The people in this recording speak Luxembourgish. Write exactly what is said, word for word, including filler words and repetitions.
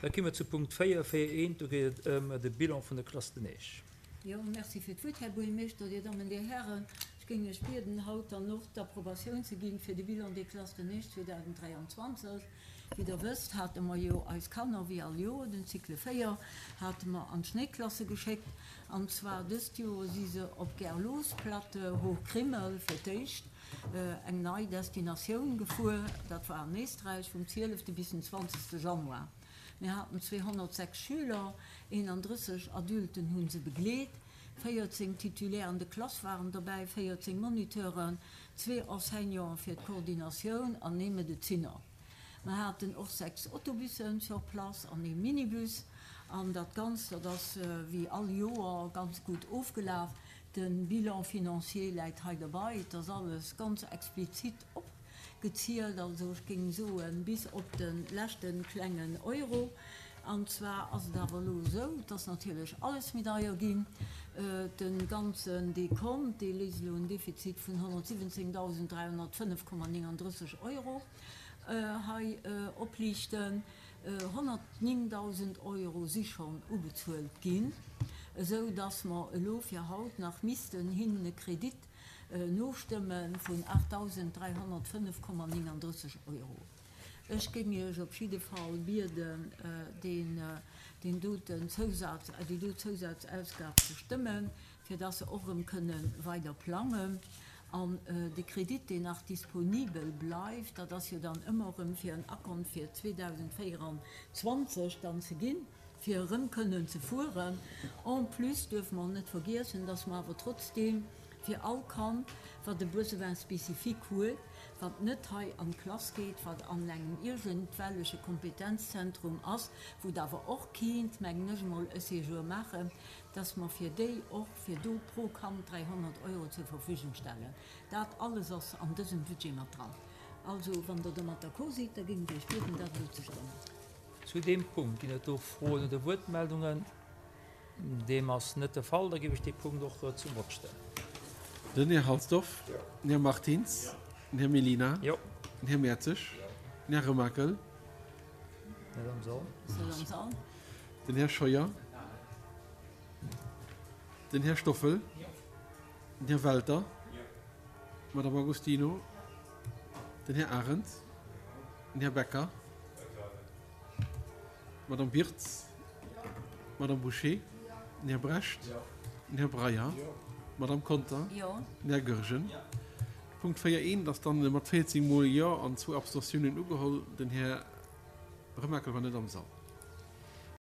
Da komme mer zu Punkt véier, véier eent, do geet et ëm de Bilan vun der Classe de Neige. Jo, merci fir d'Wuert, Här Buergermeeschter, Dir Dammen, Dir Hären. Ech géing Iech bieden, haut dann och d'Approbatioun ze ginn fir de Bilan des classes de neige zweedausenddräianzwanzeg. Wéi Der wësst, hate mer jo eis Kanner, wéi all Joer, den Cycle véier hate mer an d'Schnéiklasse geschéckt. An zwar dëst Joer si se op Gerlosplatte, Hochkrimmel, fir d'éischt eng nei Destinatioun gefuer. Dat war an Éisträich vum zwielefte bis den zwanzegste Januar. Mir haten zweehonnertsechs Schüler, eenandrësseg Adulten hu se begleet, véierzéng Titulaires de classe waren dobäi, véierzéng Moniteuren, zwee Enseignanten fir d'Koordinatioun an ee Medezinner. Mer haten och sechs Autobussen sur place an ee Minibus. An dat Ganzt, dat ass wéi all Joer ganz gutt ofgelaf. De Bilan financier läit hei derbei. Et ass alles ganz explizit opgezielt, also ech géing soen, bis op de leschte klengen Euro. An zwar ass et awer elo esou, et ass natierlech alles méi deier ginn. De ganzen Dekont, dee léisst elo en Defizit vun honnertsiwwenzéngdausend dräihonnertfënnef Komma nénganddrësseg Euro hei opliichten. Honnertnéngdausend Euro si schonn ubezuelt ginn, esou dass mer elo fir haut nach missten hinnen e Kredit nostëmme vun aachtdausend dräihonnertfënnef Komma nénganddrësseg Euro. Ech géing Iech op jidde Fall bieden, deen, deen doten Zousaz, déi do Zousazausgab ze stëmmen, fir dass se och erëm kënne weider plangen. An de Kredit, deen nach disponibel bleift, dat ass jo dann ëmmer erëm fir en Akkont fir zweedausendvéieranzwanzeg dann ze ginn, fir erëm kënnen ze fueren. En plus duerfe mer net vergiessen, dass mer awer trotzdeem fir all Kand, wat e Besoin spécifique huet, wat net hei an d'Klass geet, wat an engem iergendwelleche Kompetenzzentrum ass, wou et awer och kéint, mengen ech emol, e Séjour maachen, dass mer fir déi och fir do pro Kand dräihonnert Euro zur Verfügung stellen. Dat alles ass an dësem Budget mat dran. Also, wann Der domat d'accord sidd, da géing ech Iech bieden, dat elo ze stëmmen. Zu deem Punkt ginn et do Froen oder Wuertmeldungen? Deem ass net de Fall. Da géif ech dee Punkt och zum Vott stellen. Den Här Halsdorf, den Här Martins, den Här Mellina, Jo. den Här Mertzig, den Här Remakel, Net am Sall. Net am Sall. Den Här Scheuer, den Här Stoffel, den Här Welter, d'Madame Agostino, den Här Arendt, den Här Becker, d'Madame Birtz, d'Madame Bouché, den Här Brecht, den Här Breyer, d'Madame Conter, den Här Goergen. Punkt véier eent ass dann mat véierzéng Mol Jo an zwou Abstentiounen ugeholl. Den Här Remakel war net am Sall.